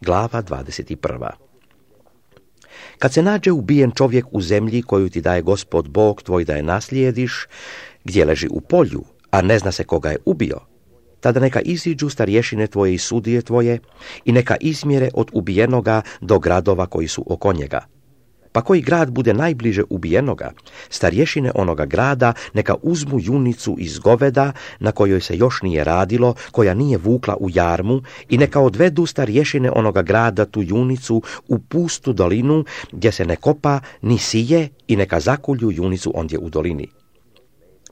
Glava 21. Kad se nađe ubijen čovjek u zemlji koju ti daje Gospod Bog tvoj da je naslijediš, gdje leži u polju, a ne zna se koga je ubio, tada neka iziđu starješine tvoje i sudije tvoje i neka izmjere od ubijenoga do gradova koji su oko njega. Pa koji grad bude najbliže ubijenoga, starješine onoga grada neka uzmu junicu iz goveda na kojoj se još nije radilo, koja nije vukla u jarmu, i neka odvedu starješine onoga grada tu junicu u pustu dolinu gdje se ne kopa ni sije, i neka zakulju junicu ondje u dolini.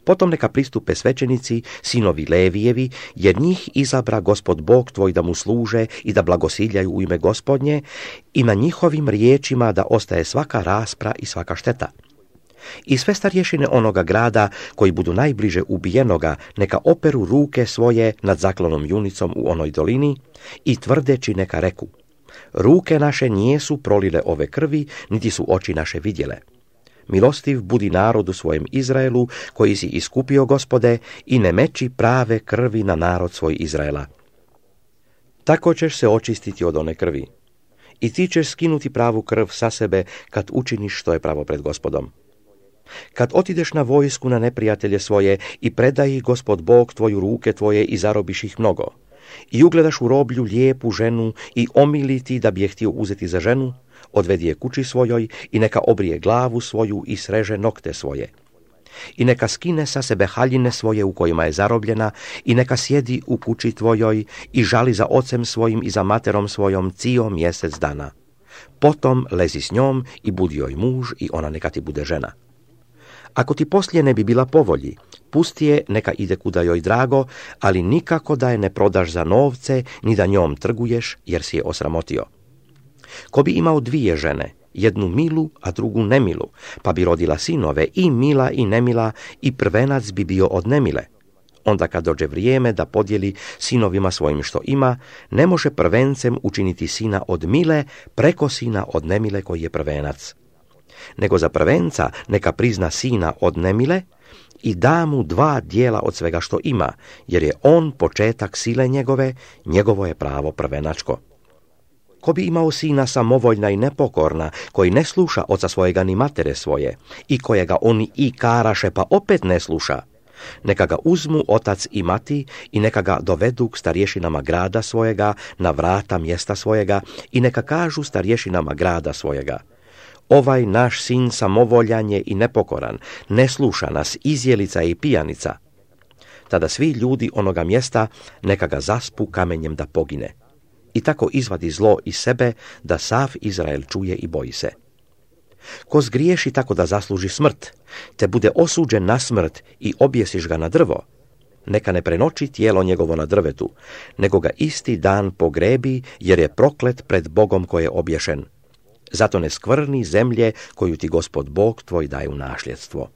Potom neka pristupe svećenici, sinovi Levijevi, jer njih izabra Gospod Bog tvoj da mu služe i da blagosiljaju u ime Gospodnje, i na njihovim riječima da ostaje svaka raspra i svaka šteta. I sve starješine onoga grada koji budu najbliže ubijenoga neka operu ruke svoje nad zaklanom junicom u onoj dolini i tvrdeći neka reku: ruke naše nijesu prolile ove krvi, niti su oči naše vidjele. Milostiv budi narodu svojem Izraelu, koji si iskupio, Gospode, i ne meči prave krvi na narod svoj Izraela. Tako ćeš se očistiti od one krvi. I ti ćeš skinuti pravu krv sa sebe kad učiniš što je pravo pred Gospodom. Kad otideš na vojsku na neprijatelje svoje i predaj ih Gospod Bog tvoju ruke tvoje i zarobiš ih mnogo, i ugledaš u roblju lijepu ženu i omili ti da bi je htio uzeti za ženu, odvedi je kući svojoj i neka obrije glavu svoju i sreže nokte svoje. I neka skine sa sebe haljine svoje u kojima je zarobljena i neka sjedi u kući tvojoj i žali za ocem svojim i za materom svojom cijel mjesec dana. Potom lezi s njom i budi joj muž i ona neka ti bude žena. Ako ti poslije ne bi bila po volji, pusti je neka ide kuda joj drago, ali nikako da je ne prodaš za novce, ni da njom trguješ, jer si je osramotio. Ko bi imao dvije žene, jednu milu, a drugu nemilu, pa bi rodila sinove, i mila i nemila, i prvenac bi bio od nemile. Onda kad dođe vrijeme da podijeli sinovima svojim što ima, ne može prvencem učiniti sina od mile preko sina od nemile koji je prvenac. Nego za prvenca neka prizna sina od nemile i da mu 2 dijela od svega što ima, jer je on početak sile njegove, njegovo je pravo prvenačko. Ko bi imao sina samovoljna i nepokorna, koji ne sluša oca svojega ni matere svoje, i kojega oni i karaše pa opet ne sluša, neka ga uzmu otac i mati i neka ga dovedu k starješinama grada svojega, na vrata mjesta svojega, i neka kažu starješinama grada svojega: ovaj naš sin samovoljan je i nepokoran, ne sluša nas, izjelica i pijanica. Tada svi ljudi onoga mjesta neka ga zaspu kamenjem da pogine. I tako izvadi zlo iz sebe, da sav Izrael čuje i boji se. Ko zgriješi tako da zasluži smrt, te bude osuđen na smrt i objesiš ga na drvo, neka ne prenoći tijelo njegovo na drvetu, nego ga isti dan pogrebi, jer je proklet pred Bogom koji je obješen. Zato ne skvrni zemlje koju ti Gospod Bog tvoj daje u nasljedstvo.